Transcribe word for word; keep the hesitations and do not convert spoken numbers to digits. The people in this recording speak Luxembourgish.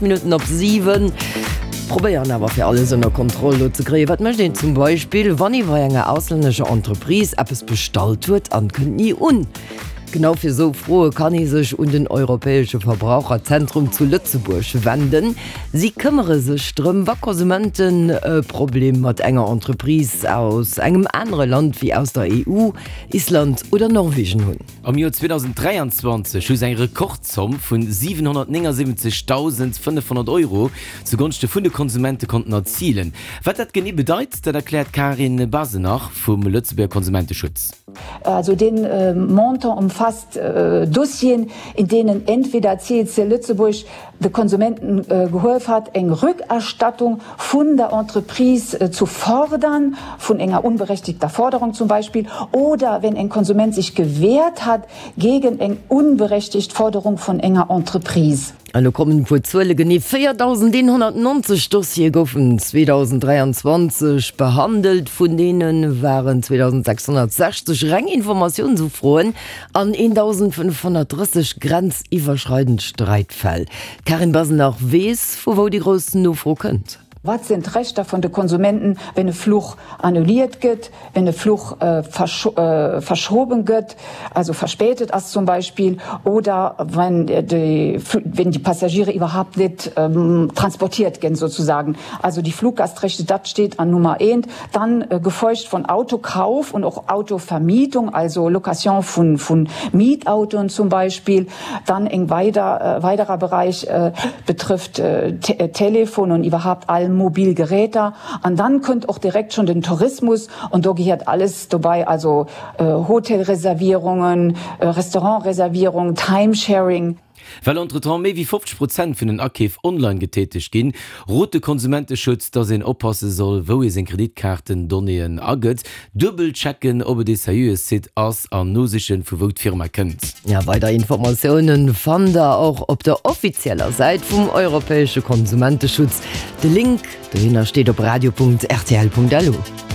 Minutten op siwen. Probéieren awer fir alles ënner Kontroll do ze kréien. Wat mécht een zum Beispill, wann ee bei enger auslännescher Entreprise eppes bestallt huet an kënnt ni un? Genau fir esou Froe kann ee sech un den Europäesche Verbraucherzentrum zu Lëtzebuerg wenden. Si këmmere sech drëm, wa Konsumenten e Problem mat enger Entreprise aus engem anere Land wéi aus der E U, Island oder Norwegen hunn. Am Joer zweedausend dräianzwanzeg hu se eng Rekordzomm vun siwenhonnertnéngasiwwenzegdausendfënnefhonnert Euro zu Gonschte vun de Konsumente konnten erzilen. Wat dat genee bedeit, dat erkläert d'Karin Basenach vum Lëtzebuerger Konsumenteschutz. Also den Montant umfasst Dossieren, in denen entweder C E C Lëtzebuerg de Konsumenten gehollef hat, eng Rückerstattung vun der Entreprise zu fordern, vun enger unberechtigter Forderung zum Beispill, oder wenn en Konsument sich gewehrt hat gegen eng unberechtigt Forderung vun enger Entreprise. An elo kommen e puer Zuele, Genee véierdausendeenhonnertnonzeg Dossiere goufen zweedausend dräianzwanzeg behandelt, vun deene waren zweedausendsechshonnertsechzeg reng Informatiounsufroen an eendausendfënnefhonnertdrësseg grenziwwerschreidend Sträitfäll. D'Karin Basenach weess, vu wou déi grouss Nofro kënnt. Wat sinn d'Rechter vun de Konsumenten, wenn e Fluch annulliert gëtt, wenn e Fluch äh, verscho äh, verschoben gëtt, also verspätet ass zum Beispill, oder wenn die, wenn die Passagiere überhaupt net ähm, transportiert ginn sozusagen. Also die Fluggastrechte, dat steht an Nummer eent. Dann äh, gefolgt von Autokauf und och Autovermietung, also Location vun, vun Mietautoen zum Beispill. Dann eng weider, äh, weiderer Bereich äh, betrifft äh, Te Telefon und iwwerhaapt all mobil Geräter. An dann kënnt och direkt schon den Tourismus und do gehéiert alles dobäi, also äh, Hotelreservierungen, äh, Restaurantreservierungen, Timesharing. Well entretemps méi wéi fofzeg Prozent vun den Akeef online getätegt ginn, rot de Konsumenteschutz, dass een oppasse soll, wou ee seng Kreditkaartendonnéeën agëtt, duebel checken, ob et e seriöe Site ass an nosichen, vu wou d'Firma kënnt. Ja, weider Informatiounen fannt der och op der offizieller Säit vum Europäesche Konsumenteschutz. De Link dohinner steet op radio Punkt R T L Punkt L U.